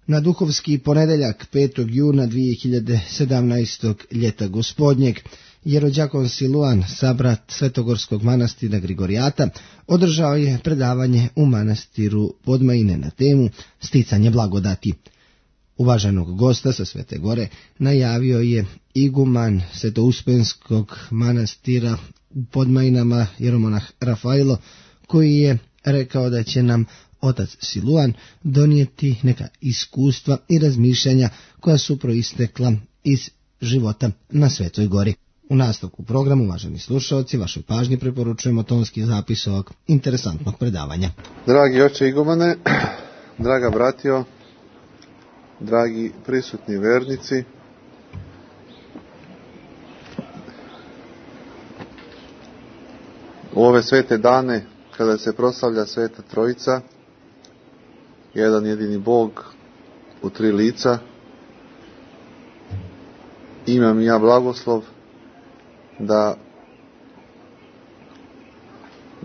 Na duhovski ponedeljak 5. juna 2017. ljeta gospodnjeg, jerođakon Siluan, sabrat Svetogorskog manastira Grigorijata, održao je predavanje u manastiru Podmajine na temu Sticanje blagodati. Uvaženog gosta sa Svete Gore najavio je iguman Svetouspenskog manastira u Podmajinama jeromonah Rafailo, koji je rekao da će nam otac Siluan donijeti neka iskustva i razmišljanja koja su proistekla iz života na Svetoj Gori. U nastavku programu, uvaženi slušalci, vašoj pažnji preporučujemo tonski zapis ovog interesantnog predavanja. Dragi oče igumane, draga bratio, dragi prisutni vernici, u ove svete dane kada se proslavlja Sveta Trojica, jedan jedini Bog u tri lica, imam i ja blagoslov da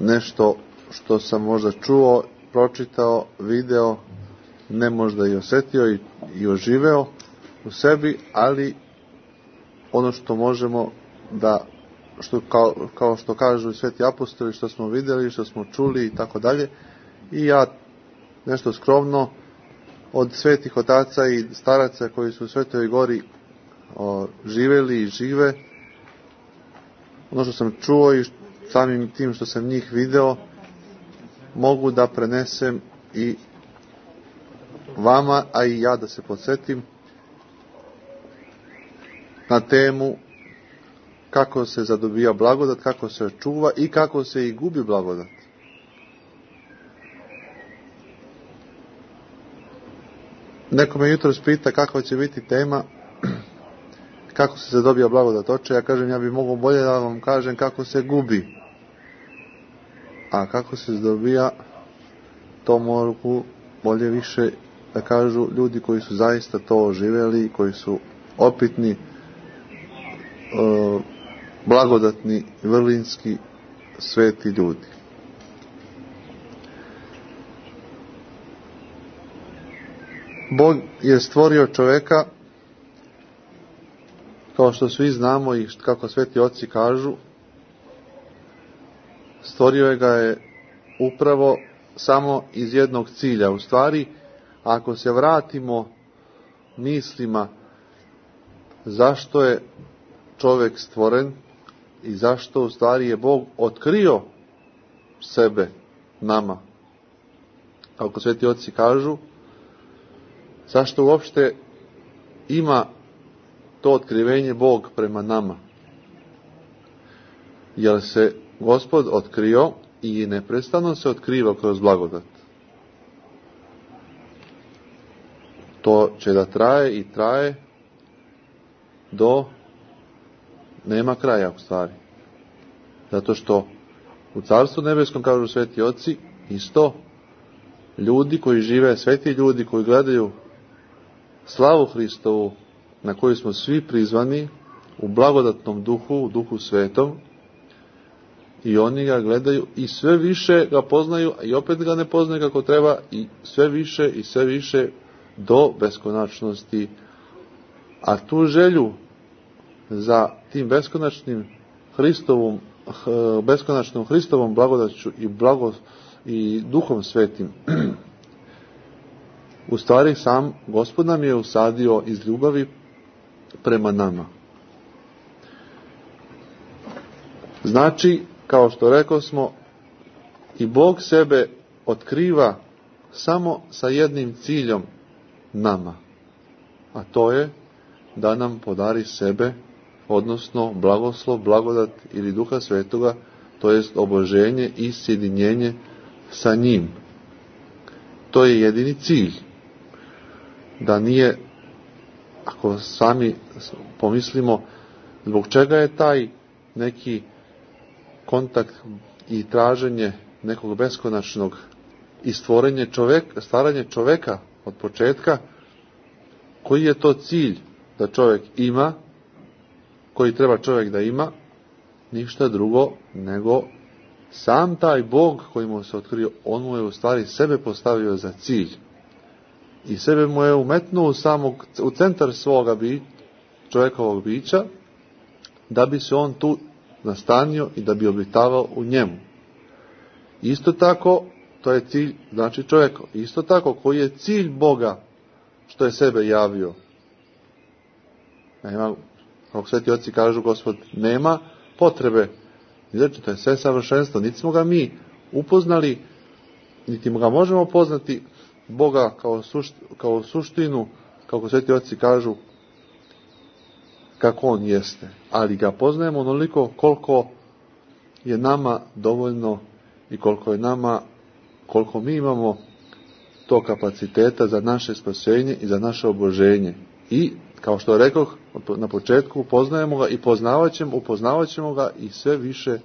nešto što sam možda čuo, pročitao, video, ne možda i osjetio i oživeo u sebi, ali ono što možemo da, kao što kažu sveti apostoli, što smo vidjeli, što smo čuli i tako dalje, i ja nešto skromno od svetih otaca i staraca koji su u Svetoj Gori živjeli i žive, ono što sam čuo i samim tim što sam njih video, mogu da prenesem i vama, a i ja da se podsjetim na temu kako se zadobija blagodat, kako se čuva i kako se i gubi blagodat. Neko me jutros pita kakva će biti tema, kako se zadobija blagodat oče. Ja kažem, ja bih mogao bolje da vam kažem kako se gubi. A kako se zadobija, to mogu bolje više da kažu ljudi koji su zaista to živjeli, koji su opitni, blagodatni, vrlinski, sveti ljudi. Bog je stvorio čovjeka, kao što svi znamo i kako sveti oci kažu, stvorio ga je upravo samo iz jednog cilja. U stvari, ako se vratimo mislima zašto je čovjek stvoren i zašto u stvari je Bog otkrio sebe nama, kako sveti oci kažu, zašto uopšte ima to otkrivenje Bog prema nama? Jer se Gospod otkrio i neprestano se otkriva kroz blagodat. To će da traje i traje do nema kraja u stvari. Zato što u Carstvu nebeskom, kažu sveti oci, isto ljudi koji žive, sveti ljudi koji gledaju slavu Hristovu, na koju smo svi prizvani u blagodatnom duhu, u duhu svetom, i oni ga gledaju i sve više ga poznaju, i opet ga ne poznaju kako treba, i sve više do beskonačnosti. A tu želju za tim beskonačnom Hristovom blagodaću i duhom svetim, u stvari sam Gospod nam je usadio iz ljubavi prema nama. Znači, kao što rekao smo, i Bog sebe otkriva samo sa jednim ciljem nama, a to je da nam podari sebe, odnosno blagoslov, blagodat ili Duha Svetoga, to jest oboženje i sjedinjenje sa njim. To je jedini cilj. Da nije, ako sami pomislimo, zbog čega je taj neki kontakt i traženje nekog beskonačnog i stvaranje čovjeka od početka, koji je to cilj da čovjek ima, koji treba čovjek da ima, ništa drugo nego sam taj Bog koji mu se otkrio, on mu je u stvari sebe postavio za cilj. i sebe mu je umetnuo u centar svoga čovjekovog bića, da bi se on tu nastanio i da bi obitavao u njemu. Isto tako, to je cilj, znači čovjeka. Isto tako, koji je cilj Boga što je sebe javio? Nema, kako sveti oci kažu, Gospod nema potrebe. Znači, to je sve savršenstvo. Niti smo ga mi upoznali, niti ga možemo poznati Boga kao suštinu, kako sveti oci kažu, kako on jeste. Ali ga poznajemo onoliko koliko je nama dovoljno i koliko mi imamo to kapaciteta za naše spasenje i za naše oboženje. I, kao što rekoh na početku, poznajemo ga i upoznavat ćemo ga i sve više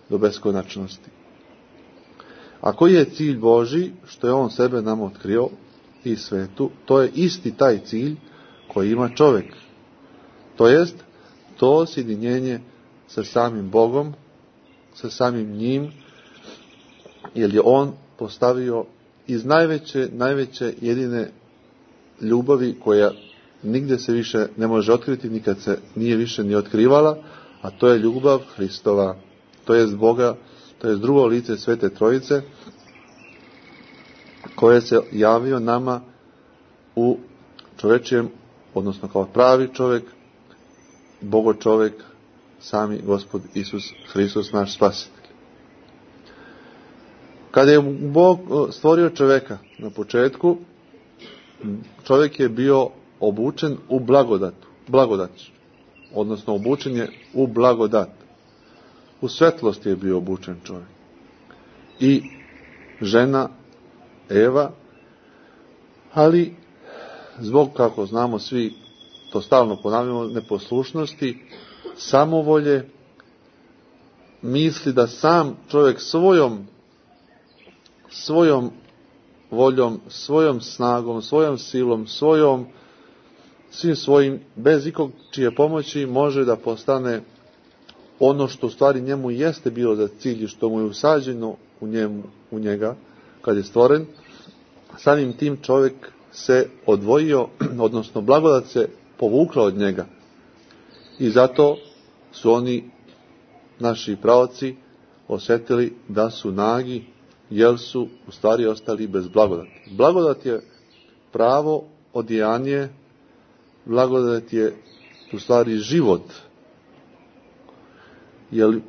do beskonačnosti. A koji je cilj Božji, što je on sebe nam otkrio i svetu, to je isti taj cilj koji ima čovjek. To jest, to sjedinjenje sa samim Bogom, sa samim njim, jer je on postavio iz najveće jedine ljubavi koja nigdje se više ne može otkriti, nikad se nije više ni otkrivala, a to je ljubav Hristova, to jest Boga, to jest drugo lice Svete Trojice, koje se javio nama u čovječijem, odnosno kao pravi čovjek, Bogo čovjek, sami Gospod Isus Hristos, naš spasitelj. Kada je Bog stvorio čovjeka na početku, čovjek je bio obučen u blagodat, odnosno obučen je u blagodat. U svetlost je bio obučen čovjek. I žena Eva, ali zbog, kako znamo svi, to stalno ponavljamo, neposlušnosti, samovolje, misli da sam čovjek svojom voljom, svojom snagom, svojom silom, svim svojim, bez ikog čije pomoći može da postane ono što u stvari njemu jeste bilo za cilj i što mu je usađeno u njega kad je stvoren. Samim tim čovjek se odvojio, odnosno blagodat se povukla od njega. I zato su oni, naši praoci, osjetili da su nagi, jer su u stvari ostali bez blagodati. Blagodat je pravo odijanje, blagodat je u stvari život. Jer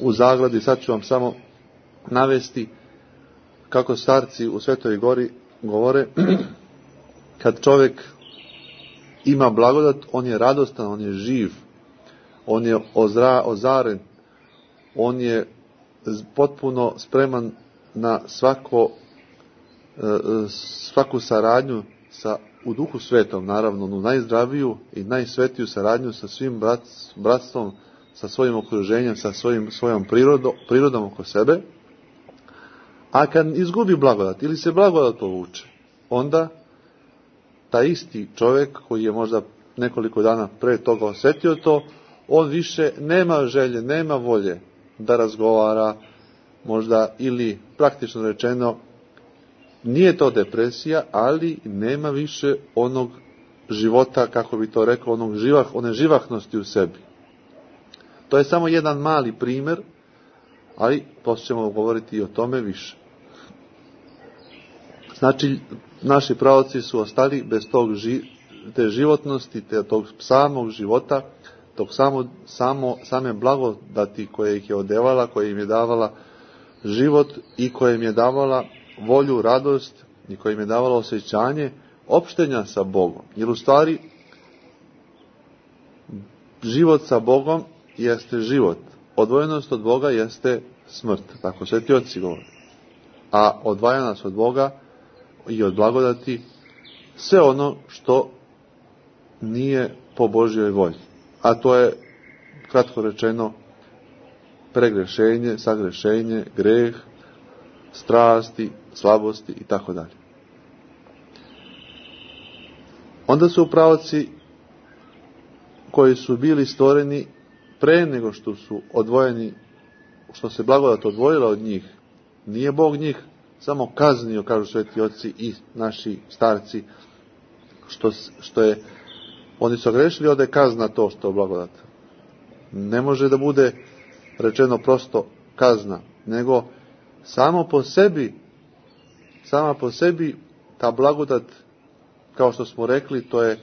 u zagradi, sad ću vam samo navesti kako starci u Svetoj Gori govore, kad čovjek ima blagodat, on je radostan, on je živ, on je ozaren, on je potpuno spreman na svaku saradnju u Duhu Svetom, naravno, onu najzdraviju i najsvetiju saradnju sa svim bratstvom, sa svojim okruženjem, sa svojom prirodom oko sebe. A kad izgubi blagodat ili se blagodat povuče, onda taj isti čovjek koji je možda nekoliko dana pre toga osjetio to, on više nema želje, nema volje da razgovara, možda, ili praktično rečeno, nije to depresija, ali nema više onog života, kako bi to rekao, one živahnosti u sebi. To je samo jedan mali primjer, ali poslije ćemo govoriti i o tome više. Znači, naši praoci su ostali bez te životnosti, tog samog života, tog same blagodati koje ih je odevala, koje im je davala život i koje im je davala volju, radost i koje im je davala osjećanje opštenja sa Bogom. Jer u stvari život sa Bogom jeste život. Odvojenost od Boga jeste smrt. Tako sveti oci govore. A odvaja nas od Boga i od blagodati sve ono što nije po Božjoj volji. A to je, kratko rečeno, pregrešenje, sagrešenje, greh, strasti, slabosti i tako dalje. Onda su praoci koji su bili stvoreni pre nego što su odvojeni, što se blagodat odvojila od njih, nije Bog njih samo kaznio, kažu sveti oci i naši starci, što je, oni su grešili, onda je kazna to što je blagodat. Ne može da bude rečeno prosto kazna, nego sama po sebi ta blagodat, kao što smo rekli, to je,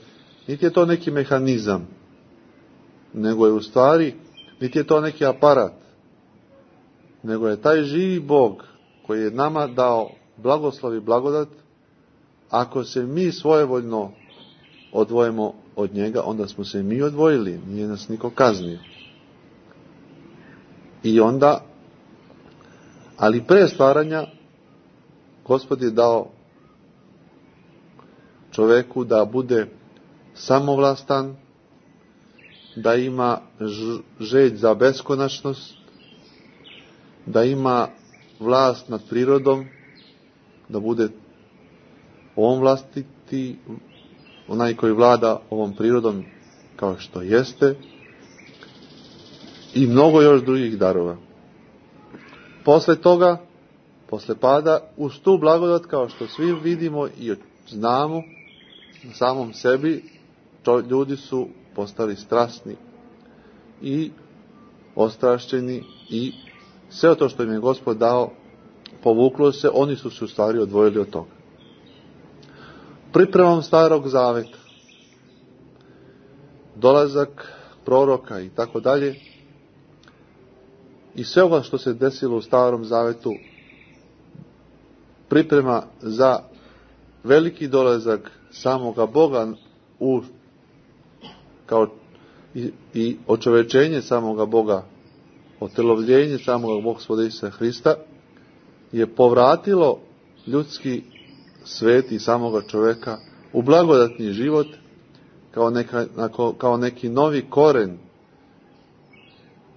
niti je to neki mehanizam, nego je u stvari, niti je to neki aparat, nego je taj živi Bog koji je nama dao blagoslov i blagodat. Ako se mi svojevoljno odvojimo od njega, onda smo se mi odvojili, nije nas niko kaznio. I onda, ali pre stvaranja, Gospod je dao čoveku da bude samovlastan, da ima želj za beskonačnost, da ima vlast nad prirodom, da bude on vlastiti, onaj koji vlada ovom prirodom kao što jeste, i mnogo još drugih darova. Posle toga, posle pada, uz tu blagodat, kao što svi vidimo i znamo na samom sebi, ljudi su postali strasni i ostrašćeni i sve to što im je Gospod dao povuklo se, oni su se u stvari odvojili od toga. Pripremom Starog Zaveta, dolazak proroka i tako dalje, i sve ovo što se desilo u Starom Zavetu, priprema za veliki dolazak samoga Boga i očovečenje samoga Boga, otelovljenje samoga Gospoda Isusa Hrista, je povratilo ljudski svet i samoga čoveka u blagodatni život kao neki novi koren,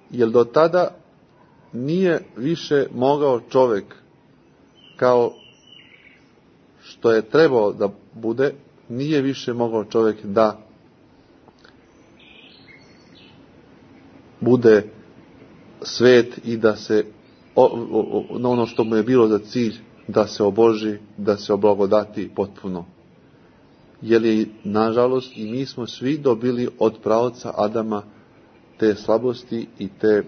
jer do tada nije više mogao čovek, kao što je trebao da bude, nije više mogao čovek da bude svet i da se na ono što mu je bilo za cilj, da se oboži, da se oblagodati potpuno. Jer je, nažalost, i mi smo svi dobili od praoca Adama te slabosti i te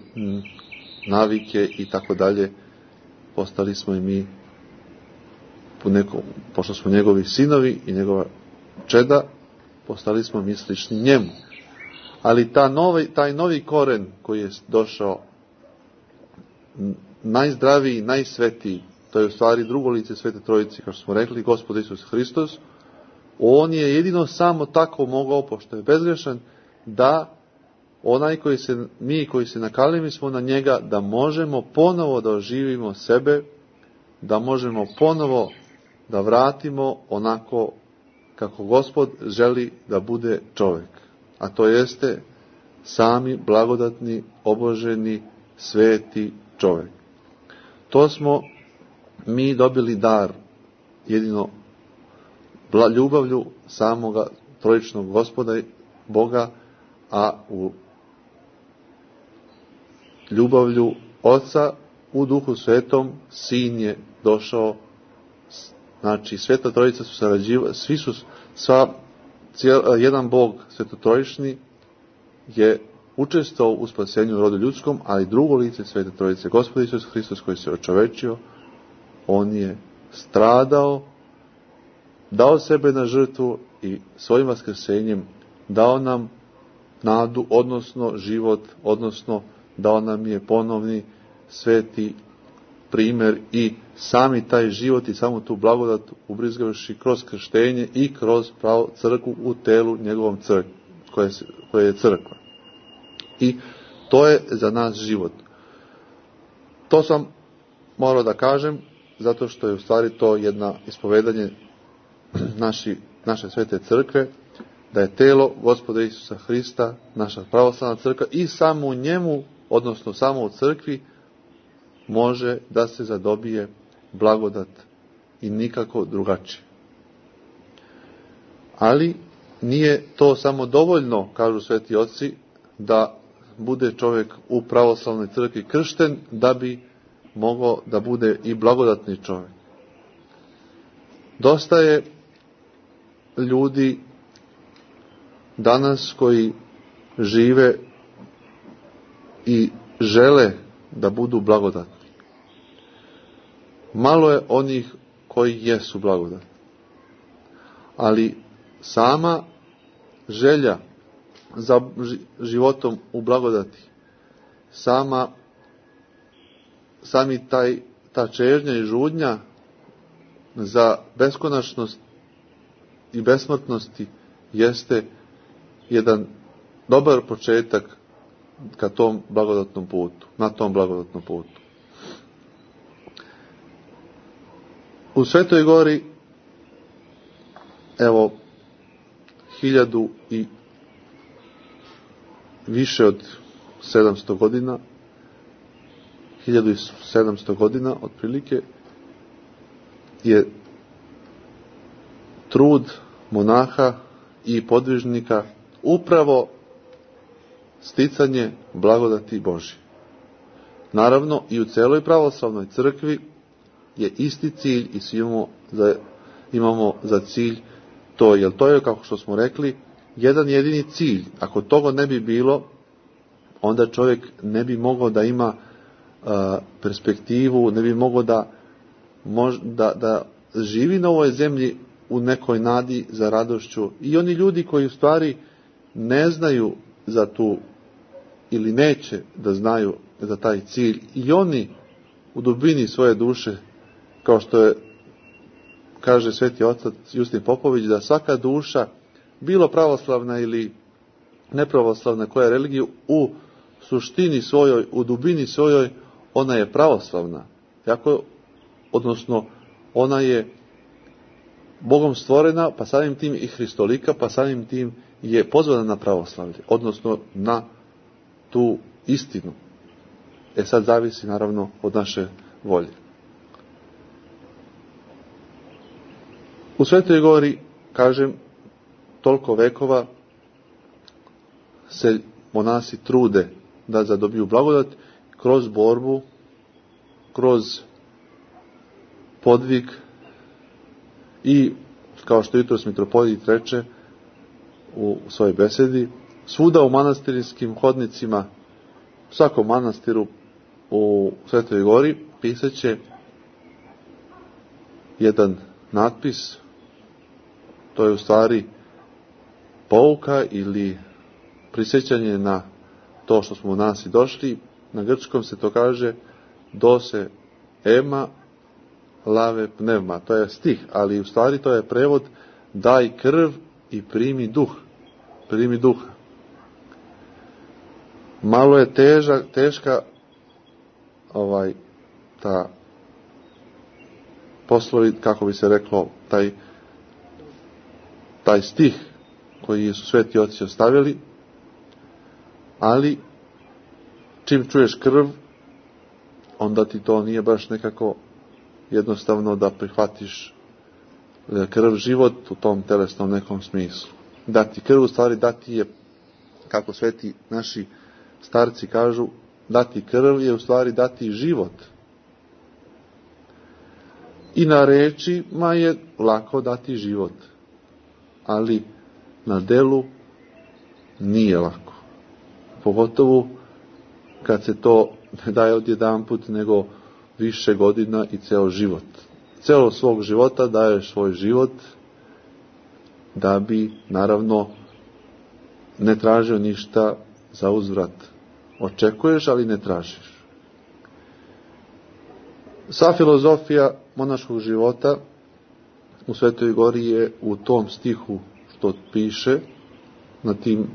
navike i tako dalje. Postali smo i mi, pošto smo njegovi sinovi i njegova čeda, postali smo mi slični njemu. Ali taj novi koren koji je došao, najzdraviji, najsvetiji, to je u stvari drugo lice Svete Trojice, kao što smo rekli, Gospod Isus Hristos, on je jedino samo tako mogao, pošto je bezgrešan, da mi koji se nakalili smo na njega, da možemo ponovo da oživimo sebe, da možemo ponovo da vratimo onako kako Gospod želi da bude čovjek. A to jeste sami blagodatni, oboženi, sveti čovjek. To smo mi dobili dar jedino ljubavlju samoga trojičnog Gospoda Boga, a u ljubavlju Oca u Duhu Svetom Sin je došao. Znači, Sveta Trojica su sarađivali, jedan Bog svetotrojični je učestvovao u spasenju rodu ljudskom, ali drugo lice Svete Trojice, Gospod Isus Hristos, koji se očovečio, on je stradao, dao sebe na žrtvu i svojim vaskrsenjem dao nam nadu, odnosno život, odnosno dao nam je ponovni sveti primer i sami taj život i samu tu blagodat ubrizgavši kroz krštenje i kroz crkvu u telu njegovom koje je crkva. I to je za nas život. To sam morao da kažem, zato što je u stvari to jedno ispovedanje naše svete crkve, da je telo Gospoda Isusa Hrista, naša pravoslavna crkva, i samo u njemu, odnosno samo u crkvi, može da se zadobije blagodat i nikako drugačije. Ali nije to samo dovoljno, kažu sveti oci, da bude čovjek u pravoslavnoj crkvi kršten, da bi mogao da bude i blagodatni čovjek. Dosta je ljudi danas koji žive i žele da budu blagodatni. Malo je onih koji jesu blagodatni. Ali sama želja za životom u blagodati, ta čežnja i žudnja za beskonačnost i besmrtnosti jeste jedan dobar početak ka tom blagodatnom putu, na tom blagodatnom putu. U Svetoj Gori, evo, 1000 i više od 700 godina, 1700 godina otprilike, je trud monaha i podvižnika upravo sticanje blagodati Božje. Naravno, i u celoj pravoslavnoj crkvi je isti cilj i svi imamo za cilj to, jer to je, kako što smo rekli, jedan jedini cilj. Ako toga ne bi bilo, onda čovjek ne bi mogao da ima perspektivu, ne bi mogao da živi na ovoj zemlji u nekoj nadi za radošću. I oni ljudi koji u stvari ne znaju za tu ili neće da znaju za taj cilj, i oni u dubini svoje duše, kao što kaže sveti otac Justin Popović, da svaka duša, bilo pravoslavna ili nepravoslavna, koja je religiju, u suštini svojoj, u dubini svojoj, ona je pravoslavna. Odnosno, ona je Bogom stvorena, pa samim tim i hristolika, pa samim tim je pozvana na pravoslavlje, odnosno na tu istinu. Sad zavisi naravno od naše volje. U Svetoj Gori, kažem, toliko vekova se monasi trude da zadobiju blagodat kroz borbu, kroz podvig i, kao što jutros mitropolit reče u svojoj besedi, svuda u manastirskim hodnicima, u svakom manastiru u Svetoj Gori pisaće jedan natpis. To je u stvari pouka ili prisjećanje na to što smo u nas i došli. Na grčkom se to kaže dose ema lave pnevma. To je stih, ali u stvari to je prevod daj krv i primi duh. Primi duha. Malo je teška ta poslovi, kako bi se reklo, taj stih koji su sveti oci ostavili, ali čim čuješ krv, onda ti to nije baš nekako jednostavno da prihvatiš krv život u tom telesnom nekom smislu. Dati krv, u stvari dati je, kako sveti naši starci kažu, dati krv je u stvari dati život. I na rečima je lako dati život, ali na delu nije lako. Pogotovo kad se to ne daje odjedanput, nego više godina i ceo život. Celo svog života daješ svoj život da bi, naravno, ne tražio ništa za uzvrat. Očekuješ, ali ne tražiš. Sva filozofija monaškog života u Svetoj Gori je u tom stihu što piše na tim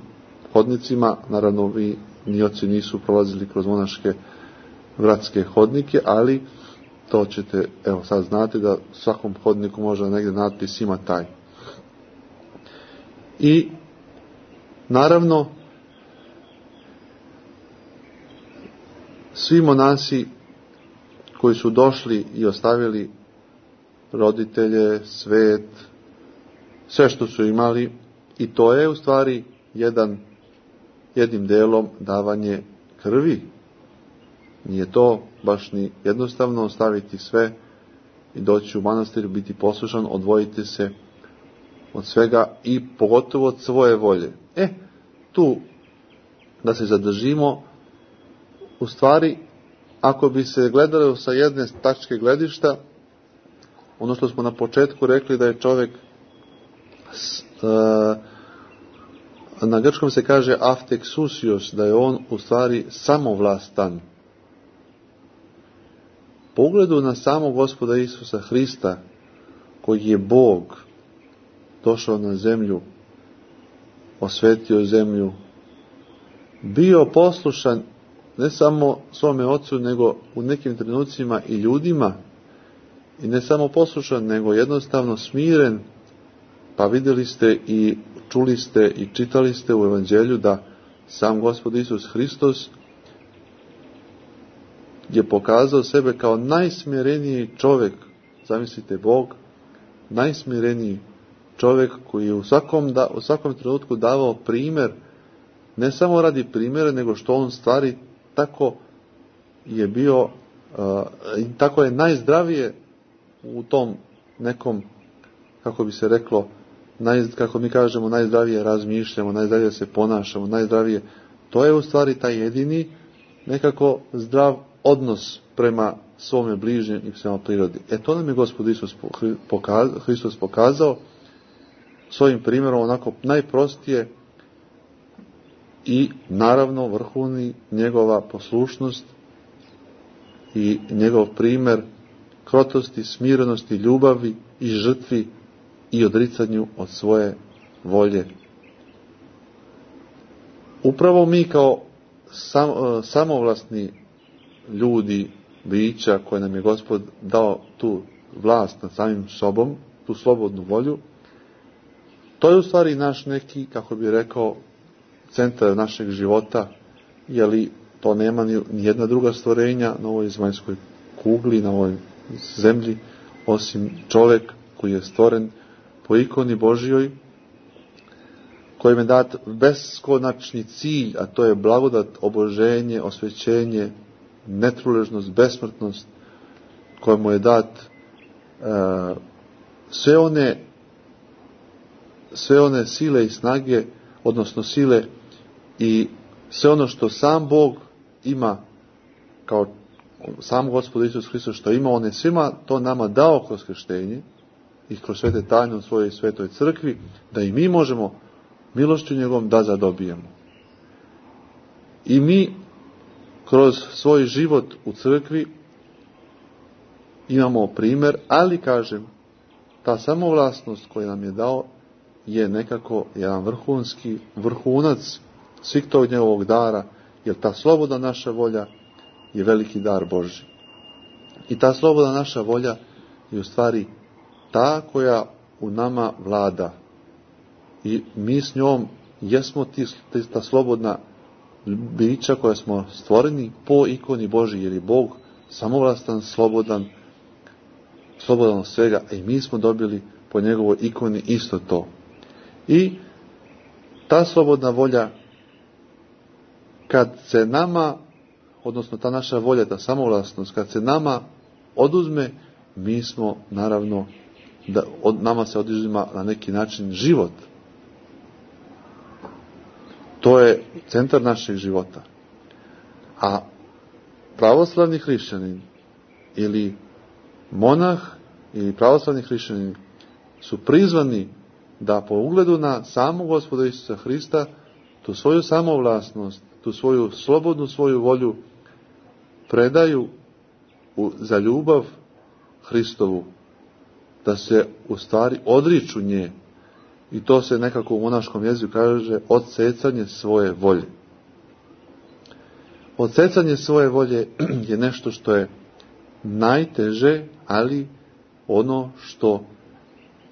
hodnicima. Naravno, vi ni oci nisu prolazili kroz monaške vratske hodnike, ali to ćete, evo sad znate da svakom hodniku možda negdje natpis ima taj. I naravno svi monasi koji su došli i ostavili roditelje, svet, sve što su imali, i to je u stvari jednim delom davanje krvi. Nije to baš ni jednostavno ostaviti sve i doći u manastir, biti poslušan, odvojiti se od svega i pogotovo od svoje volje. Tu da se zadržimo, u stvari, ako bi se gledalo sa jedne tačke gledišta, ono što smo na početku rekli da je čovjek, na grčkom se kaže aftexousios, da je on u stvari samovlastan. Po ugledu na samog Gospoda Isusa Hrista, koji je Bog, došao na zemlju, osvetio zemlju, bio poslušan ne samo svome ocu, nego u nekim trenucima i ljudima, i ne samo poslušan, nego jednostavno smiren. Pa vidjeli ste i čuli ste i čitali ste u Evanđelju da sam Gospod Isus Hristos je pokazao sebe kao najsmireniji čovjek. Zamislite, Bog, najsmireniji čovjek koji je u svakom trenutku davao primjer, ne samo radi primjera, nego što on stvari tako je bio, tako je najzdravije u tom nekom, kako bi se reklo, kako mi kažemo, najzdravije razmišljamo, najzdravije se ponašamo, najzdravije. To je u stvari taj jedini nekako zdrav odnos prema svome bližnjem i prema prirodi. To nam je Gospod Isus Hristos pokazao svojim primjerom, onako najprostije, i naravno vrhovni njegova poslušnost i njegov primjer krotosti, smirenosti, ljubavi i žrtvi i odricanju od svoje volje. Upravo mi kao samovlasni ljudi, bića koje nam je Gospod dao tu vlast nad samim sobom, tu slobodnu volju, to je u stvari naš neki, kako bi rekao, centar našeg života, jer to nema ni jedna druga stvorenja na ovoj zemaljskoj kugli, na ovoj zemlji, osim čovjek koji je stvoren po ikoni Božjoj, kojem je dat beskonačni cilj, a to je blagodat, oboženje, osvećenje, netruležnost, besmrtnost, kojemu je dat sve one sile i snage, odnosno sile i sve ono što sam Bog ima, kao sam Gospod Isus Hristos što ima, on je svima to nama dao kroz krštenje i kroz svete tajne u svojoj svetoj crkvi, da i mi možemo milošću njegovom da zadobijemo. I mi kroz svoj život u crkvi imamo primjer, ali kažem, ta samovlasnost koju nam je dao je nekako jedan vrhunac svih tog njegovog dara, jer ta slobodna naša volja je veliki dar Božji. I ta slobodna naša volja je u stvari ta koja u nama vlada. I mi s njom jesmo ta slobodna bića koja smo stvoreni po ikoni Božji, jer je Bog samovlastan, slobodan od svega, a i mi smo dobili po njegovoj ikoni isto to. I ta slobodna volja, kad se nama, odnosno ta naša volja, ta samovlasnost, kad se nama oduzme, mi smo naravno, od nama se oduzima na neki način život. To je centar našeg života. A pravoslavni hrišćanin ili monah ili pravoslavni hrišćanin su prizvani da po ugledu na samog Gospoda Isusa Hrista tu svoju samovlasnost, tu svoju slobodnu svoju volju predaju za ljubav Hristovu, da se u stvari odriču nje. I to se nekako u monaškom jeziku kaže odsecanje svoje volje. Odsecanje svoje volje je nešto što je najteže, ali ono što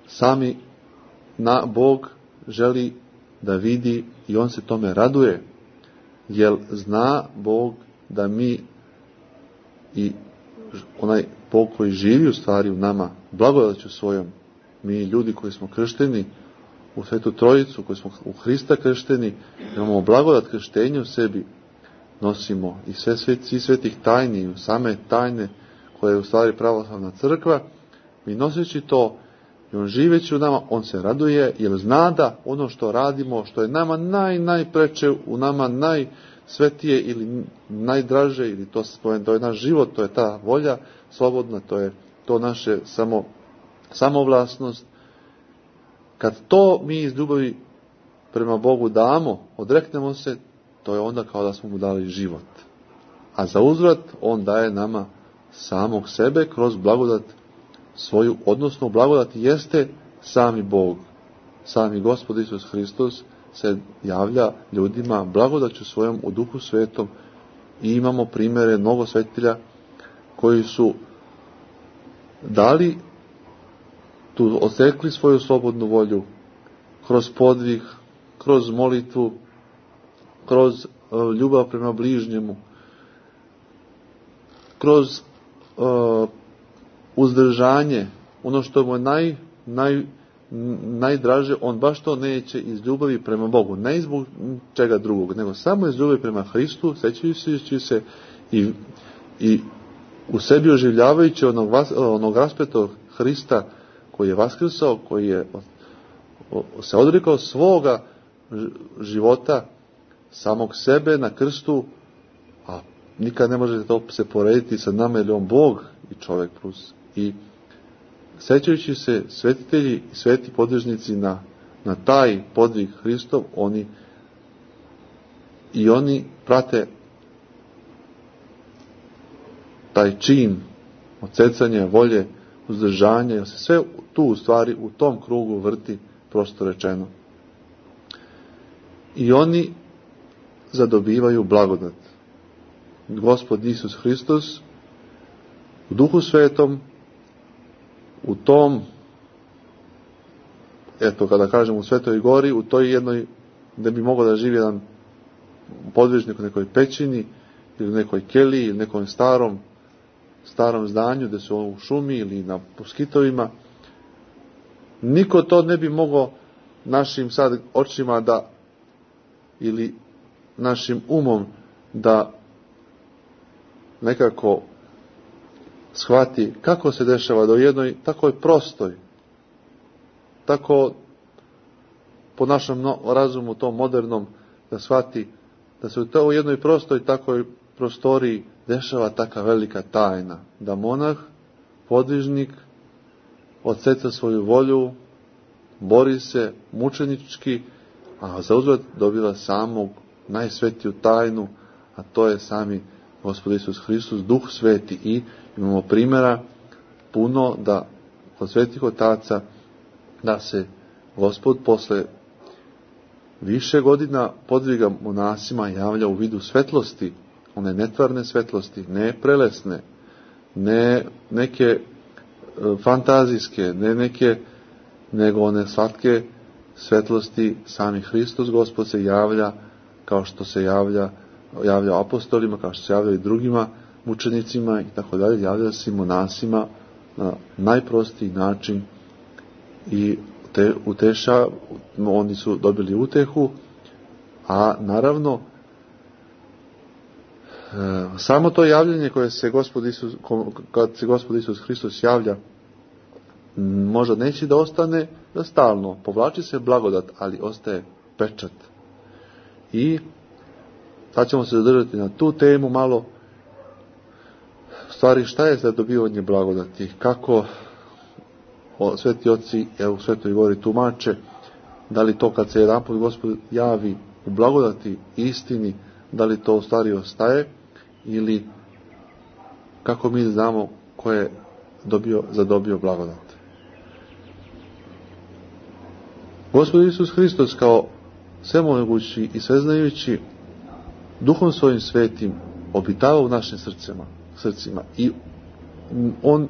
sami Bog želi da vidi i on se tome raduje, jer zna Bog da mi i onaj Bog koji živi u stvari u nama, blagodaću svojom, mi ljudi koji smo kršteni u Svetu Trojicu, koji smo u Hrista kršteni, imamo blagodat krštenja u sebi, nosimo i svi svetih tajni, same tajne koje je u stvari pravoslavna crkva, mi noseći to i on živeći u nama, on se raduje jer zna da ono što radimo, što je nama najpreče, u nama najsvetije ili najdraže, ili to je naš život, to je ta volja slobodna, to je to naše samovlasnost. Kad to mi iz ljubavi prema Bogu damo, odreknemo se, to je onda kao da smo mu dali život. A za uzvrat on daje nama samog sebe kroz blagodat svoju, odnosno blagodat jeste sami Bog. Sami Gospod Isus Hristos se javlja ljudima blagodaću svojom u Duhu Svetom i imamo primjere mnogo svetitelja koji su dali tu, osekli svoju slobodnu volju kroz podvig, kroz molitvu, kroz ljubav prema bližnjemu, kroz uzdržanje, ono što mu je najdraže, on baš to neće iz ljubavi prema Bogu, ne zbog čega drugog, nego samo iz ljubavi prema Hristu, sećajući se i u sebi oživljavajući onog raspetog Hrista koji je vaskrsao, koji je se odrekao svoga života, samog sebe na krstu, a nikad ne može to se porediti sa nama, jer je on Bog i čovjek plus. I sećajući se svetitelji i sveti podvižnici na taj podvig Hristov, oni prate taj čin odsecanja volje, uzdržanja, jer se sve tu u stvari u tom krugu vrti, prosto rečeno. I oni zadobivaju blagodat. Gospod Isus Hristos u Duhu Svetom, u tom, kada kažem u Svetoj Gori, u toj jednoj, gdje bi mogao da živi jedan podvižnik u nekoj pećini, ili u nekoj keliji, ili nekom starom zdanju, gdje su u šumi ili na puskitovima, niko to ne bi mogao našim sad očima ili našim umom da nekako shvati kako se dešava do jednoj takoj prostoj, tako po našem razumu tom modernom, da shvati da se u jednoj prostoj takoj prostoriji dešava taka velika tajna, da monah, podvižnik odseca svoju volju, bori se mučenički, a za uzvrat dobiva samog najsvetiju tajnu, a to je sami Gospod Isus Hristos, Duh Sveti. I imamo primjera puno da kod svetih otaca da se Gospod posle više godina podviga monasima javlja u vidu svetlosti, one netvarne svetlosti, ne prelesne, ne neke fantazijske, ne neke, nego one slatke svetlosti. Sami Hristos Gospod se javlja kao što se javlja apostolima, kao što se javlja i drugima mučenicima i tako dalje, javlja se monasima na najprostiji način i oni su dobili utehu, a naravno samo to javljanje koje se kad se Gospod Isus Hristos javlja, možda neće da ostane da stalno, povlači se blagodat, ali ostaje pečat. I sad ćemo se zadržati na tu temu malo, stvari šta je za dobivanje blagodati, kako sveti oci u Svetoj Gori tumače, da li to kad se jedanput Gospod javi u blagodati istini, da li to u stvari ostaje, ili kako mi znamo ko je zadobio blagodat. Gospod Isus Hristos kao svemogući i sveznajući Duhom svojim svetim obitava u našim srcima i on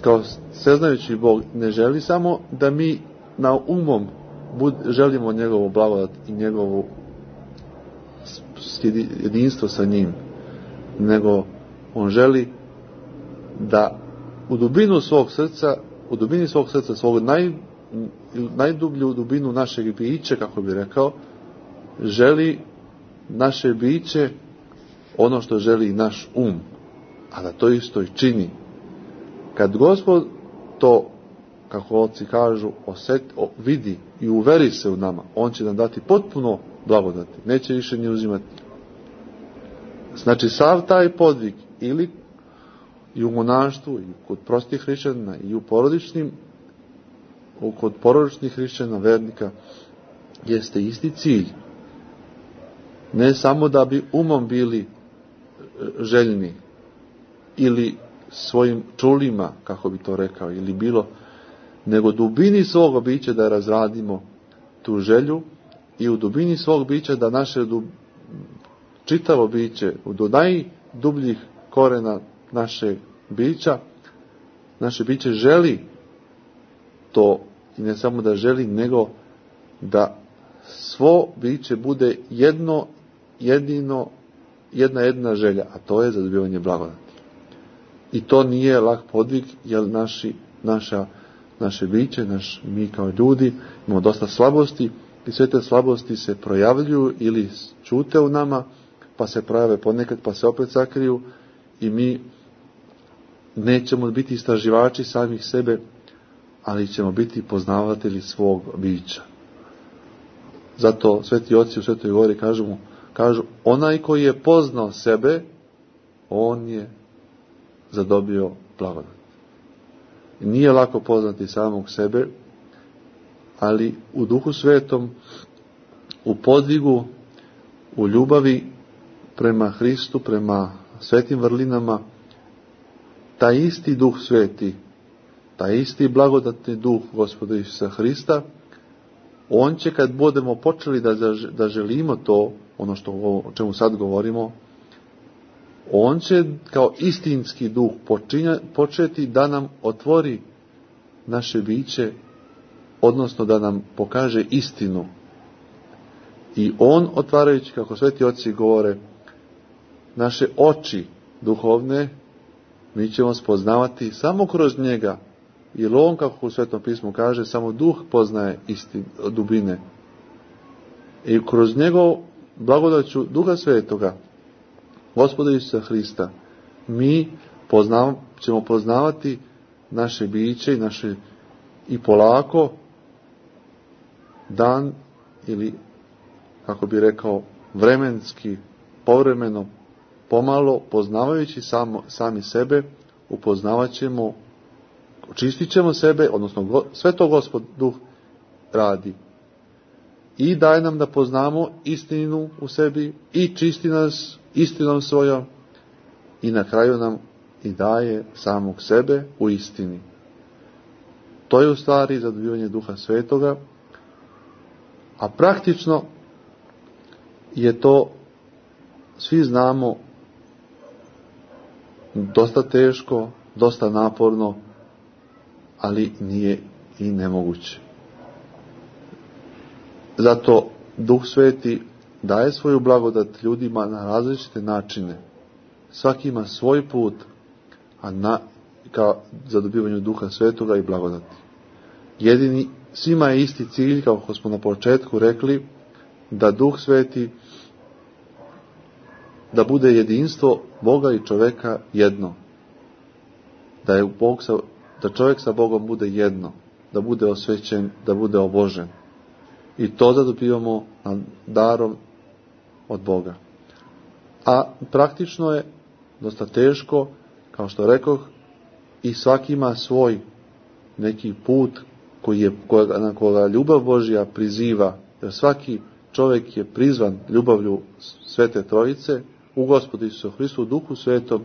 kao sveznajući Bog ne želi samo da mi na umom želimo njegovu blagodat i njegovo jedinstvo sa njim, nego on želi da u dubini svog srca, svog najdublju dubinu našeg bića, kako bi rekao, želi naše biće ono što želi naš um, a da to isto i čini. kad Gospod to, kako oci kažu, vidi i uveri se u nama, on će nam dati potpuno blagodati, neće više ni uzimati. Znači, sav taj podvig, ili i u monaštvu, i kod prostih hrišćana, i u porodičnim, kod porodičnih hrišćana, vernika, jeste isti cilj. Ne samo da bi umom bili željni, ili svojim čulima, kako bi to rekao, ili bilo, nego dubini svog bića da razradimo tu želju i u dubini svog bića da naše čitavo biće, do najdubljih korena naše biće želi to, i ne samo da želi, nego da svo biće bude jedna želja, a to je zadobivanje blagodati. I to nije lak podvig, jer naše biće, mi kao ljudi imamo dosta slabosti, i sve te slabosti se projavljuju ili ćute u nama, pa se projave ponekad, pa se opet sakriju, i mi nećemo biti istraživači samih sebe, ali ćemo biti poznavatelji svog bića. Zato sveti oci u Svetoj gori kažu, onaj koji je poznao sebe, on je zadobio blagodat. Nije lako poznati samog sebe, ali u Duhu Svetom, u podvigu, u ljubavi prema Hristu, prema svetim vrlinama, taj isti Duh Sveti, taj isti blagodatni Duh Gospoda Isusa Hrista, on će, kad budemo počeli da želimo to, ono o čemu sad govorimo, on će kao istinski Duh početi da nam otvori naše biće, odnosno da nam pokaže istinu. I on, otvarajući, kako sveti oci govore, naše oči duhovne, mi ćemo spoznavati samo kroz njega. Jer on, kako u Svetom pismu kaže, samo Duh poznaje dubine. I kroz njegov blagodaću Duha Svetoga, Gospoda Isusa Hrista, mi ćemo poznavati naše biće i polako, dan, ili, kako bi rekao, vremenski, povremeno, pomalo, poznavajući sami sebe, upoznavat ćemo, očistit ćemo sebe, odnosno sve to Gospod Duh radi. I daje nam da poznamo istinu u sebi i čisti nas istinom svojom, i na kraju nam i daje samog sebe u istini. To je u stvari zadobivanje Duha Svetoga, a praktično je to, svi znamo, dosta teško, dosta naporno, ali nije i nemoguće. Zato Duh Sveti daje svoju blagodat ljudima na različite načine. Svaki ima svoj put, ka zadobivanju Duha Svetoga i blagodati. Svima je isti cilj, kako smo na početku rekli, da Duh Sveti, da bude jedinstvo Boga i čoveka jedno. Da čovjek sa Bogom bude jedno, da bude osvećen, da bude obožen. I to zadobivamo darom od Boga. A praktično je dosta teško, kao što rekoh, i svaki ima svoj neki put na koga ljubav Božja priziva, jer svaki čovjek je prizvan ljubavlju Svete Trojice u Gospodu Isusu Hristu, u Duhu Svetom,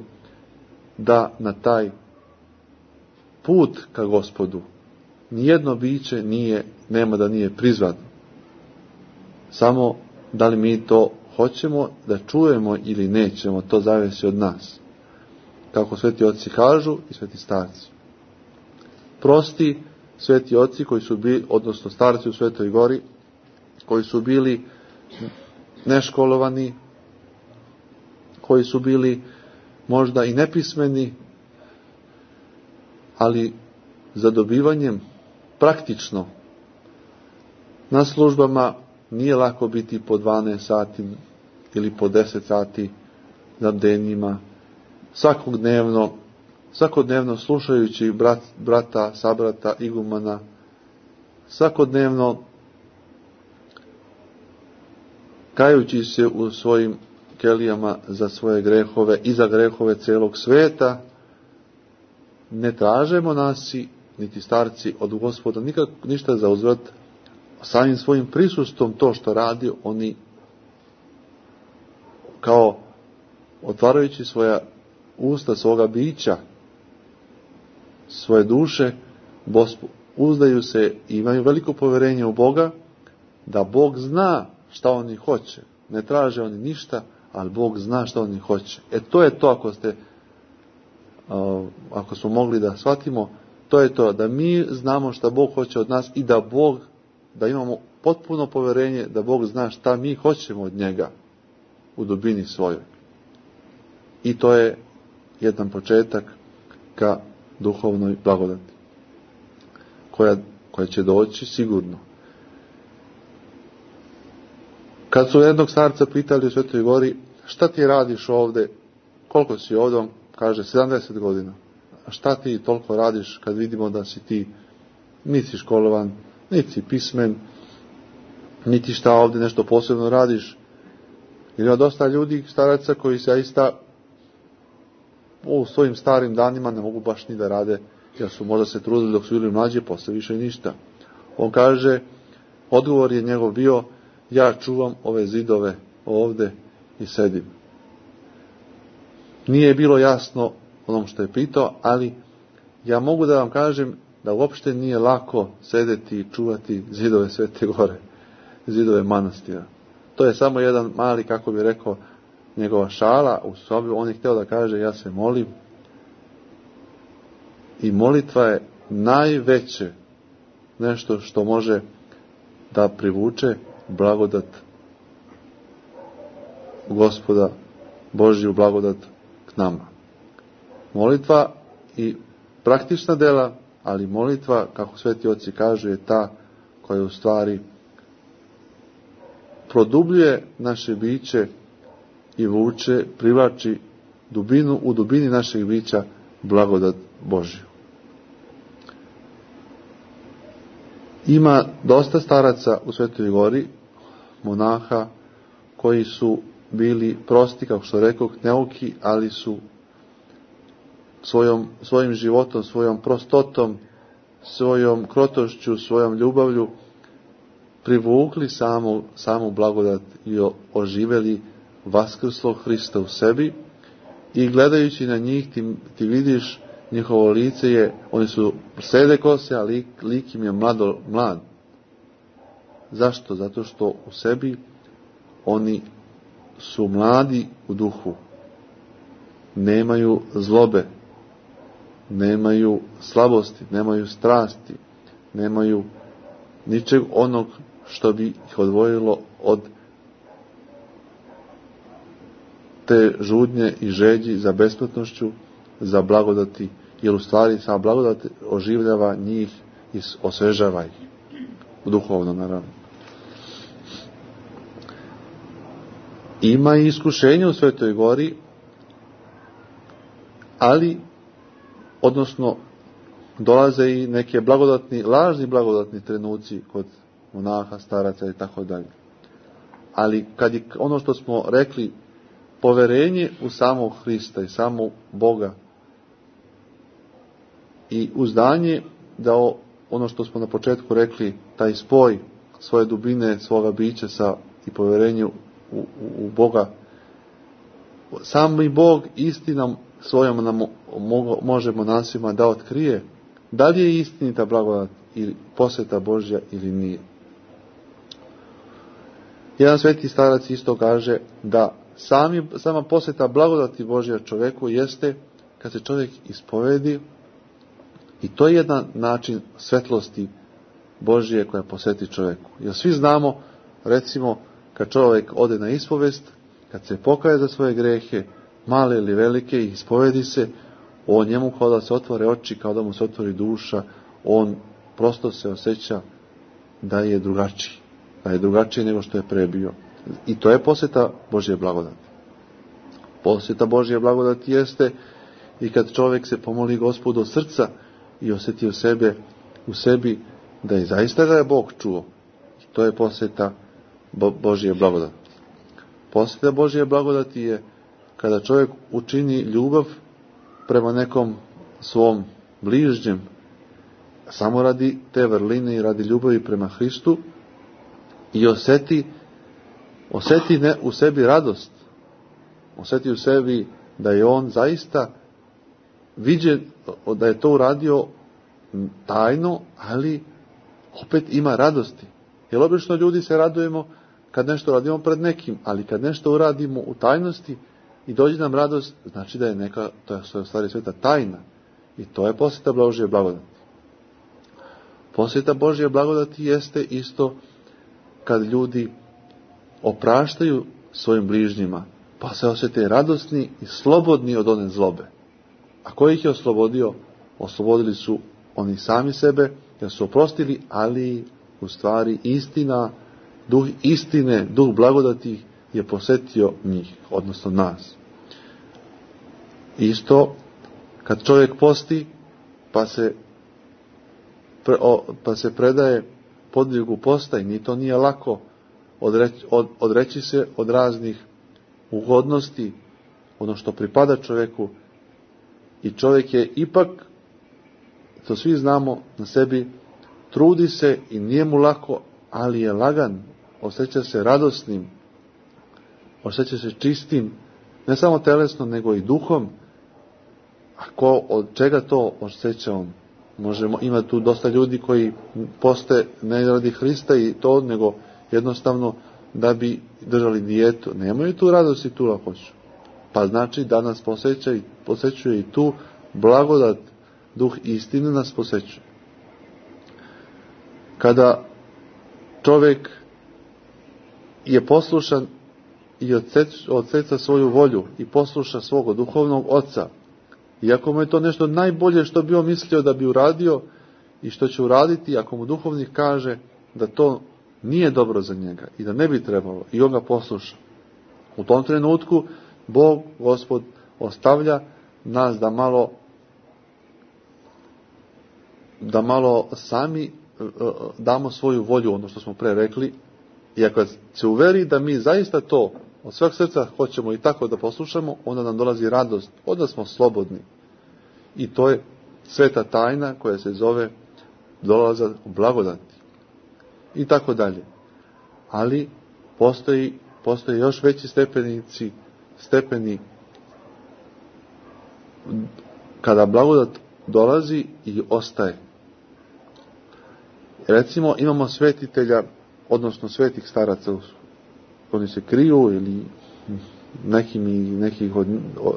da na taj put ka Gospodu nijedno biće nema da nije prizvano. Samo da li mi to hoćemo da čujemo ili nećemo, to zavisi od nas. Kako sveti oci kažu i sveti starci. Prosti sveti oci koji su bili, odnosno starci u Svetoj gori, koji su bili neškolovani, koji su bili možda i nepismeni, ali zadobivanjem praktično na službama nije lako biti po 12 sati ili po 10 sati za bdenjima, svakog dnevno svakodnevno slušajući brata, sabrata, igumana, svakodnevno kajući se u svojim kelijama za svoje grehove i za grehove celog sveta, ne traže monasi niti starci od Gospoda ništa za uzvrat, samim svojim prisustvom to što radi, oni kao otvarajući svoja usta, svoga bića, svoje duše, uzdaju se i imaju veliko povjerenje u Boga, da Bog zna šta oni hoće. Ne traže oni ništa, ali Bog zna šta oni hoće. To je to, ako smo mogli da shvatimo, to je to, da mi znamo šta Bog hoće od nas i da imamo potpuno povjerenje da Bog zna šta mi hoćemo od njega u dubini svojoj. I to je jedan početak ka duhovnoj blagodati, koja će doći sigurno. Kad su jednog starca pitali u Svetoj Gori, šta ti radiš ovdje, koliko si ovdje, on kaže 70 godina. A šta ti toliko radiš kad vidimo da si ti nisi školovan, niti si pismen, niti šta ovdje nešto posebno radiš. Jer ima dosta ljudi, staraca, koji se zaista u svojim starim danima ne mogu baš ni da rade, jer su možda se trudili dok su bili mlađi, posle više ništa. On kaže, odgovor je njegov bio, ja čuvam ove zidove ovdje i sedim. Nije bilo jasno onom što je pitao, ali ja mogu da vam kažem da uopšte nije lako sedeti i čuvati zidove Svete Gore, zidove manastira. To je samo jedan mali, kako bi rekao, njegova šala u sobi. On je htio da kaže, ja se molim. I molitva je najveće nešto što može da privuče blagodat Gospoda, Božju blagodat k nama. Molitva i praktična dela, ali molitva, kako sveti oci kažu, je ta koja u stvari produbljuje naše biće i vuče, privlači u dubini našeg bića blagodat Božju. Ima dosta staraca u Svetoj Gori, monaha, koji su bili prosti, kako što rekoh, neuki, ali su svojim životom, svojom prostotom, svojom krotošću, svojom ljubavlju privukli samu blagodat i oživeli vaskrslog Hrista u sebi. I gledajući na njih ti vidiš njihovo lice je, oni su sede kose, a lik im je mlad. Zašto? Zato što u sebi oni su mladi u duhu. Nemaju zlobe, nemaju slabosti, nemaju strasti, nemaju ničeg onog što bi ih odvojilo od te žudnje i žeđi za besplatnošću, za blagodati, jer u stvari sama blagodat oživljava njih i osvežava ih. Duhovno, naravno. Ima i iskušenje u Svetoj Gori, ali, odnosno, dolaze i neke lažni blagodatni trenuci kod monaha, staraca i tako dalje. Ali kad je ono što smo rekli, poverenje u samog Hrista i samog Boga i uzdanje da ono što smo na početku rekli, taj spoj svoje dubine, svoga bića i poverenju u Boga, sami Bog istinom svojom nam može monasima da otkrije da li je istinita blagodat ili posveta Božja ili nije. Jedan sveti starac isto kaže da sama posveta blagodati Božja čovjeku jeste kad se čovjek ispovedi, i to je jedan način svetlosti Božje koja posveti čovjeku. Jer svi znamo, recimo, kad čovjek ode na ispovest, kad se pokaje za svoje grehe, male ili velike, i ispovedi se, on njemu kao da se otvore oči, kao da mu se otvori duša, on prosto se osjeća da je drugačiji nego što je pre bio. I to je posveta Božje blagodati. Posveta Božje blagodati jeste i kad čovjek se pomoli Gospodu od srca i osjeti u sebi da je zaista ga je Bog čuo. To je posjeta Božje blagodati. Posjeta Božje blagodati je kada čovjek učini ljubav prema nekom svom bližnjem, samo radi te vrline i radi ljubavi prema Hristu i osjeti u sebi radost. Osjeti u sebi da je on zaista viđen, da je to uradio tajno, ali opet ima radosti. Jer obično ljudi se radujemo kad nešto radimo pred nekim, ali kad nešto uradimo u tajnosti i dođe nam radost, znači da je to je u stvari sveta tajna. I to je posjeta Božje blagodati. Posjeta Božje blagodati jeste isto kad ljudi opraštaju svojim bližnjima, pa se osjete radosni i slobodni od one zlobe. A ko ih je oslobodio? Oslobodili su oni sami sebe, jer su oprostili, ali u stvari istina, duh istine, duh blagodati je posjetio njih, odnosno nas. Isto, kad čovjek posti, pa se predaje podvigu posta, i ni to nije lako odreći se od raznih ugodnosti, ono što pripada čovjeku, i čovjek je ipak, to svi znamo na sebi, trudi se i nije mu lako, ali je lagan, osjeća se radosnim, osjeća se čistim, ne samo telesno, nego i duhom. Od čega to osjeća on? Ima tu dosta ljudi koji poste ne radi Hrista i to, nego jednostavno da bi držali dijetu. Nemaju tu radost i tu lakoću. Pa znači da nas posjećuje i tu blagodat, duh istine nas posjećuje. Kada čovjek je poslušan i odseca svoju volju i posluša svog duhovnog oca, iako mu je to nešto najbolje što bi on mislio da bi uradio i što će uraditi, ako mu duhovnik kaže da to nije dobro za njega i da ne bi trebalo, i on ga posluša, u tom trenutku Bog, Gospod, ostavlja nas da malo sami damo svoju volju, ono što smo pre rekli, i ako se uveri da mi zaista to od sveg srca hoćemo i tako da poslušamo, onda nam dolazi radost, onda smo slobodni. I to je sveta tajna koja se zove dolazak u blagodati. I tako dalje. Ali postoje još veći stepeni kada blagodat dolazi i ostaje. Recimo imamo svetitelja, odnosno svetih staraca, oni se kriju ili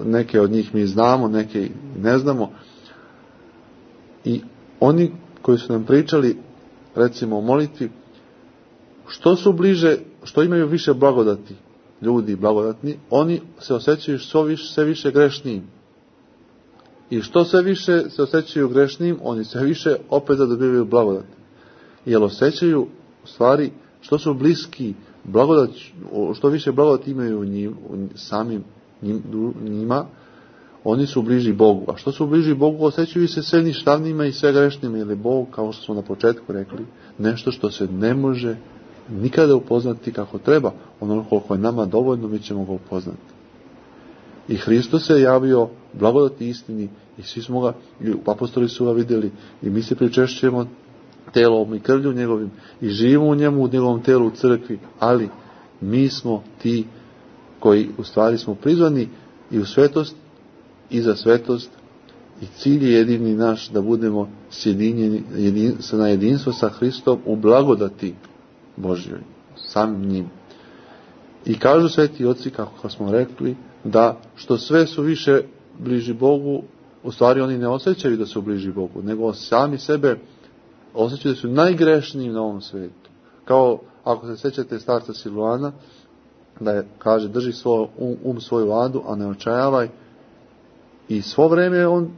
neke od njih mi znamo, neke ne znamo. I oni koji su nam pričali, recimo o molitvi, što su bliže, što imaju više blagodati, ljudi blagodatni, oni se osjećaju sve više grešnijim. I što sve više se osjećaju grešnijim, oni sve više opet zadobivaju blagodat. Jer osjećaju, u stvari, što su bliski blagodat, što više blagodati imaju njima, oni su bliži Bogu. A što su bliži Bogu, osjećaju se sve ništavnima i sve grešnima, jer je Bog, kao što smo na početku rekli, nešto što se ne može nikada upoznati kako treba. Ono koliko je nama dovoljno, mi ćemo ga upoznati. I Hristos se javio blagodati istini i svi smo ga, i apostoli su ga vidjeli, i mi se pričešćujemo telom i krvlju njegovim i živimo u njemu, u njegovom telu, u crkvi, ali mi smo ti koji u stvari smo prizvani i u svetost i za svetost, i cilj je jedini naš da budemo sjedinjeni na jedinstvo sa Hristom u blagodati Božjoj, samim njim. I kažu sveti oci, kako smo rekli, da što sve su više bliži Bogu, u stvari oni ne osjećaju da su bliži Bogu, nego sami sebe osjećaju da su najgrešniji na ovom svijetu. Kao ako se sjećate starca Siluana, da kaže drži svoju vladu, a ne očajavaj. I svo vrijeme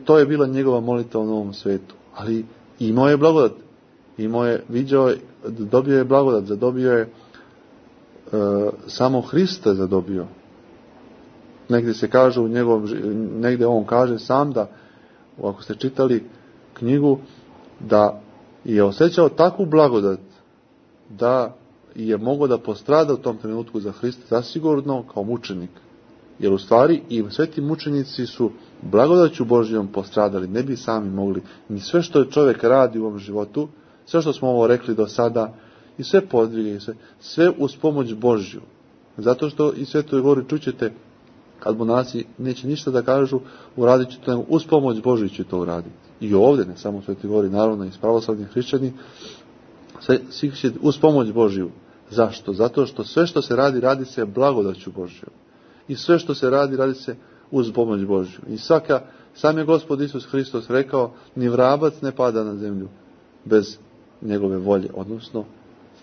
to je bila njegova molitva na ovom svijetu. Ali imao je blagodat. Dobio je blagodat, zadobio je samo Hrista zadobio. negdje se kaže negdje on kaže sam da, ako ste čitali knjigu, da je osjećao takvu blagodat da je mogao da postrada u tom trenutku za Hrista zasigurno kao mučenik. Jer u stvari i sveti mučenici su blagodaću Božjom postradali, ne bi sami mogli. Ni sve što je čovjek radi u ovom životu, sve što smo ovo rekli do sada, i sve podvige, sve uz pomoć Božju. Zato što i Svetoj Gori čućete, kad monasi neće ništa da kažu, uradit će to, uz pomoć Božju će to uraditi. I ovdje, ne samo u Svetoj Gori, naravno i pravoslavni hrišćani, svi će uz pomoć Božju. Zašto? Zato što sve što se radi, radi se blagodaću Božju. I sve što se radi, radi se uz pomoć Božju. I sam je Gospod Isus Hristos rekao, ni vrabac ne pada na zemlju bez njegove volje. Odnosno,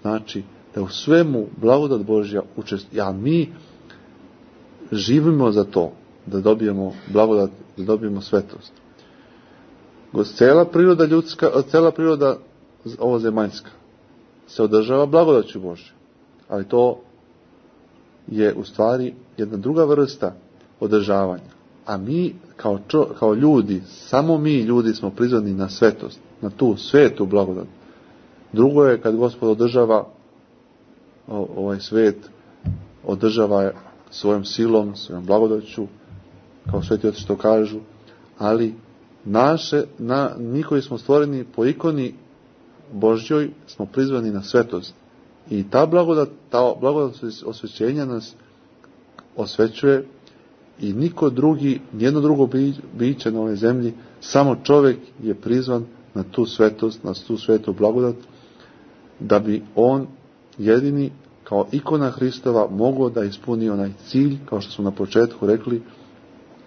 znači da u svemu blagodat Božja učestvuje. A mi živimo za to, da dobijemo blagodat, da dobijemo svetost. Cijela priroda ljudska, cijela priroda ovozemaljska se održava blagodaću Božju. Ali to je u stvari jedna druga vrsta održavanja. A mi kao ljudi, samo mi ljudi smo prizvani na svetost, na tu svetu blagodat. Drugo je kad Gospod održava ovaj svet, održava je svojom silom, svojom blagodaću, kao sveti oci što kažu, ali mi koji smo stvoreni po ikoni Božjoj smo prizvani na svetost. I ta blagodat osvećenja nas osvećuje i niko drugi, nijedno drugo biće na ovoj zemlji, samo čovjek je prizvan na tu svetost, na tu svetu blagodat, da bi on jedini kao ikona Hristova mogao da ispuni onaj cilj, kao što smo na početku rekli,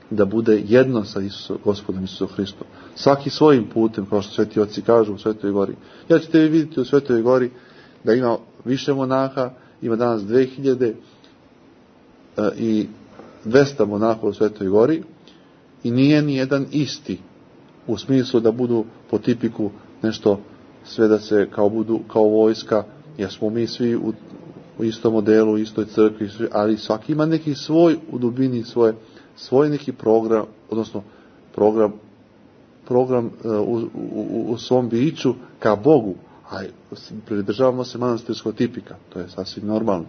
da bude jedno sa Gospodom Isusom Hristom. Svaki svojim putem, kao što sveti oci kažu u Svetoj Gori. Ja ćete vi vidjeti u Svetoj Gori da ima više monaha, ima danas 2200 monaha u Svetoj Gori i nije ni jedan isti u smislu da budu po tipiku nešto, sve da se budu kao vojska, jer smo mi svi u istom modelu, u istoj crkvi, ali svaki ima neki svoj u dubini, svoj neki program, odnosno program u svom biću ka Bogu, a pridržavamo se manastirskog tipika, to je sasvim normalno.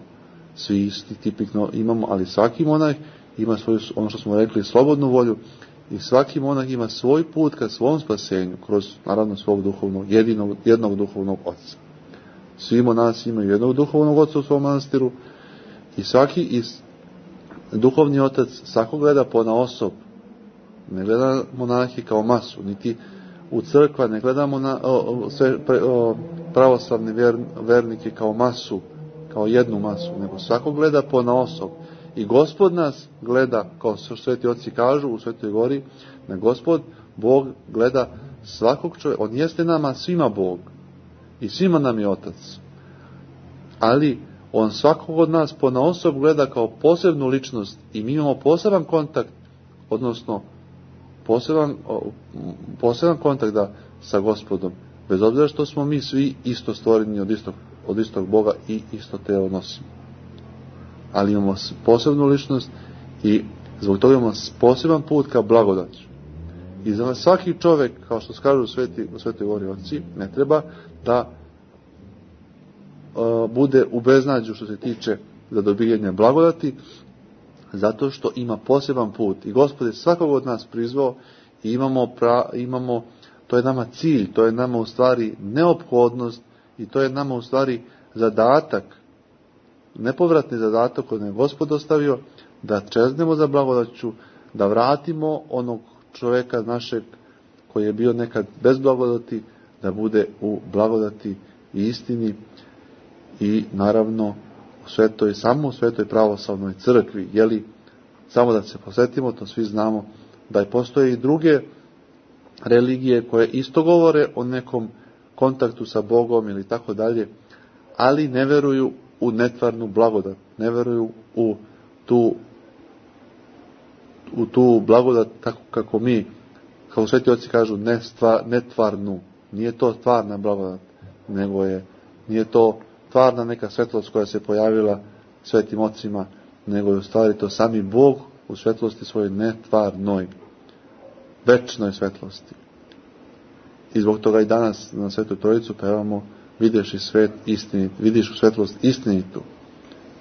Svi isti tipik imamo, ali svaki monah ima svoju, ono što smo rekli, slobodnu volju, i svaki monah ima svoj put ka svom spasenju, kroz naravno svog duhovnog, jednog duhovnog oca. Svi monasi imaju jednog duhovnog oca u svom manastiru i svaki duhovni otac svako gleda ponaosob. Ne gleda monahi kao masu, niti u crkva ne gledamo pravoslavne vernike kao masu, kao jednu masu, nego svako gleda ponaosob. I Gospod nas gleda, kao što sveti oci kažu u Svetoj Gori, na Gospod, Bog gleda svakog čovjeka. On jeste nama svima Bog i svima nam je Otac. Ali on svakog od nas ponaosob gleda kao posebnu ličnost i mi imamo poseban kontakt, odnosno poseban kontakt sa Gospodom, bez obzira što smo mi svi isto stvoreni od istog Boga i isto telo nosimo. Ali imamo posebnu ličnost i zbog toga imamo poseban put ka blagodaću. I za svaki čovjek, kao što kažu u Svetoj Gori oci, ne treba da bude u beznađu što se tiče za dobijanje blagodati, zato što ima poseban put. I Gospod je svakog od nas prizvao i imamo, to je nama cilj, to je nama u stvari neophodnost i to je nama u stvari zadatak, nepovratni zadatak koji je Gospod ostavio, da čeznemo za blagodaću, da vratimo onog čovjeka našeg koji je bio nekad bez blagodati, da bude u blagodati i istini i naravno samo u svetoj pravoslavnoj crkvi. Jeli, samo da se posjetimo, to svi znamo, da postoje i druge religije koje isto govore o nekom kontaktu sa Bogom ili tako dalje, ali ne veruju u netvarnu blagodat, ne veruju u tu blagodat tako kako mi, kao sveti oci kažu, netvarnu. Nije to stvarna blagodat, nego nije to stvarna neka svetlost koja se pojavila svetim ocima, nego je u stvari to sami Bog u svetlosti svojoj netvarnoj, večnoj svetlosti. I zbog toga i danas na Svetu Trojicu pevamo vidiš i svet istinit, vidiš u svetlost istinitu.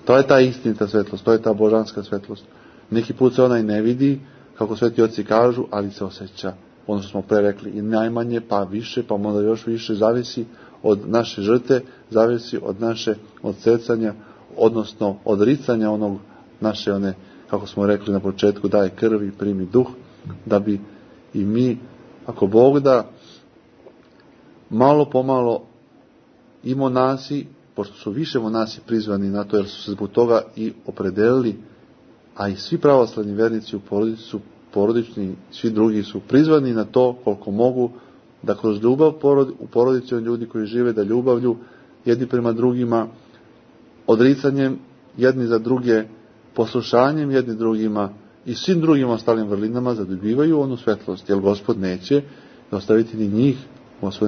To je ta istinita svetlost, to je ta božanska svetlost. Neki put se ona i ne vidi, kako sveti oci kažu, ali se osjeća. Ono što smo pre rekli, i najmanje, pa više, pa možda još više, zavisi od naše žrtve, zavisi od naše odsecanja, odnosno odricanja onog naše, one, kako smo rekli na početku, daj krv i primi duh, da bi i mi, ako Bog da, malo pomalo i monasi, pošto su više monasi prizvani na to, jer su se zbog toga i opredelili, a i svi pravoslavni vernici u porodici su porodični, svi drugi su prizvani na to koliko mogu, da kroz ljubav u porodici od ljudi koji žive, da ljubavlju jedni prema drugima, odricanjem jedni za druge, poslušanjem jedni drugima i svim drugim ostalim vrlinama zadobivaju onu svetlost, jer Gospod neće ostaviti ni njih,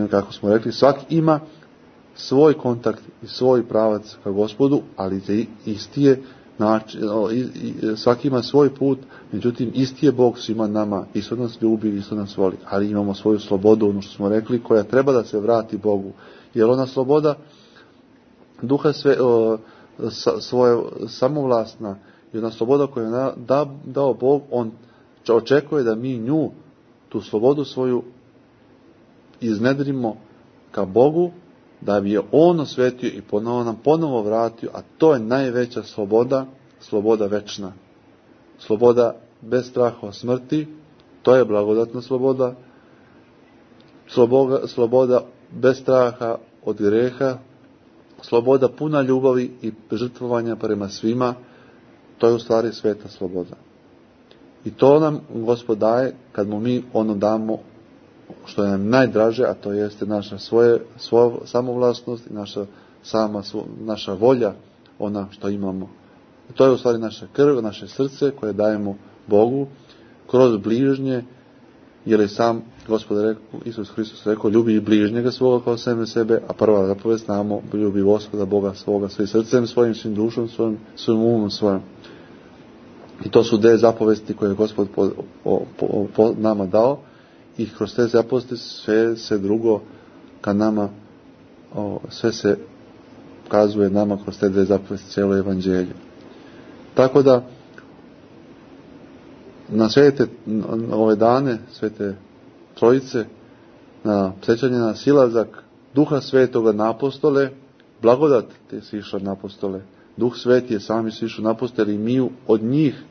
kako smo rekli, svak ima svoj kontakt i svoj pravac ka Gospodu, ali isti je način, svaki ima svoj put, međutim isti je Bog svima nama, isto nas ljubi, isto nas voli, ali imamo svoju slobodu, ono što smo rekli, koja treba da se vrati Bogu, jer ona sloboda duha svoje samovlasna i ona sloboda koju je dao Bog, on očekuje da mi nju, tu slobodu svoju, iznedrimo ka Bogu, da bi je on osvetio i ponovo vratio, a to je najveća sloboda, sloboda večna. Sloboda bez straha od smrti, to je blagodatna sloboda. Sloboda bez straha od greha, sloboda puna ljubavi i žrtvovanja prema svima, to je u stvari sveta sloboda. I to nam Gospod daje kad mu mi ono damo što je nam najdraže, a to jeste naša svoja samovlasnost i naša volja, ona što imamo. I to je u stvari naša krv, naše srce koje dajemo Bogu kroz bližnje, jer je sam Gospod rekao, Isus Hristos rekao, ljubi i bližnjega svoga kao sebe, a prva zapovest znamo, ljubi Gospoda Boga svoga svojim srcem svojim, svim dušom svojim umom svojim. I to su 10 zapovesti koje je Gospod po nama dao, i kroz te zapovesti sve se drugo ka nama, sve se kazuje nama kroz te 2 zapovesti, cijelo evanđelje. Tako da na ove dane Svete Trojice, na sjećanje na silazak Duha Svetoga na apostole, blagodat te si išla na apostole, Duh Sveti je sami si išao na apostole i mi od njih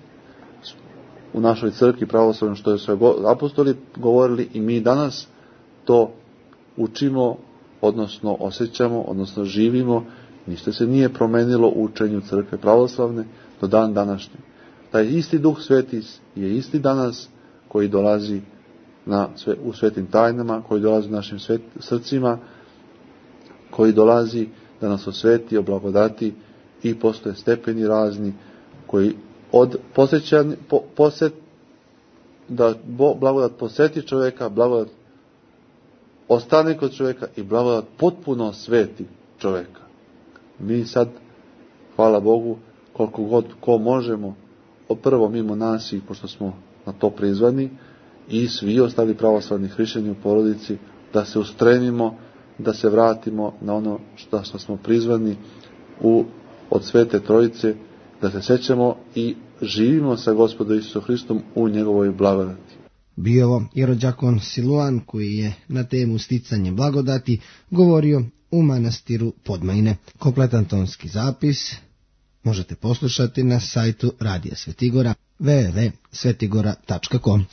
u našoj crkvi pravoslavnoj što je sve apostoli govorili, i mi danas to učimo, odnosno osjećamo, odnosno živimo. Ništa se nije promenilo u učenju crkve pravoslavne do dan današnje. Taj isti Duh Sveti je isti danas koji dolazi u svetim tajnama, koji dolazi u našim srcima, koji dolazi da nas osveti, oblagodati, i postoje stepeni razni koji od da blagodat posjeti čovjeka, blagodat ostane kod čovjeka i blagodat potpuno sveti čovjeka. Mi sad, hvala Bogu, koliko god ko možemo, prvo mimo nas, i pošto smo na to prizvani, i svi ostali pravoslavni hrišćani u porodici, da se ustremimo, da se vratimo na ono što smo prizvani od Svete Trojice, da se sećamo i živimo sa Gospodom Isusom Hristom u njegovoj blagodati. Bio ovo jerodjakon Siluan, koji je na temu sticanje blagodati govorio u manastiru Podmajine. Kompletan tonski zapis možete poslušati na sajtu Radija Svetigora www.svetigora.com.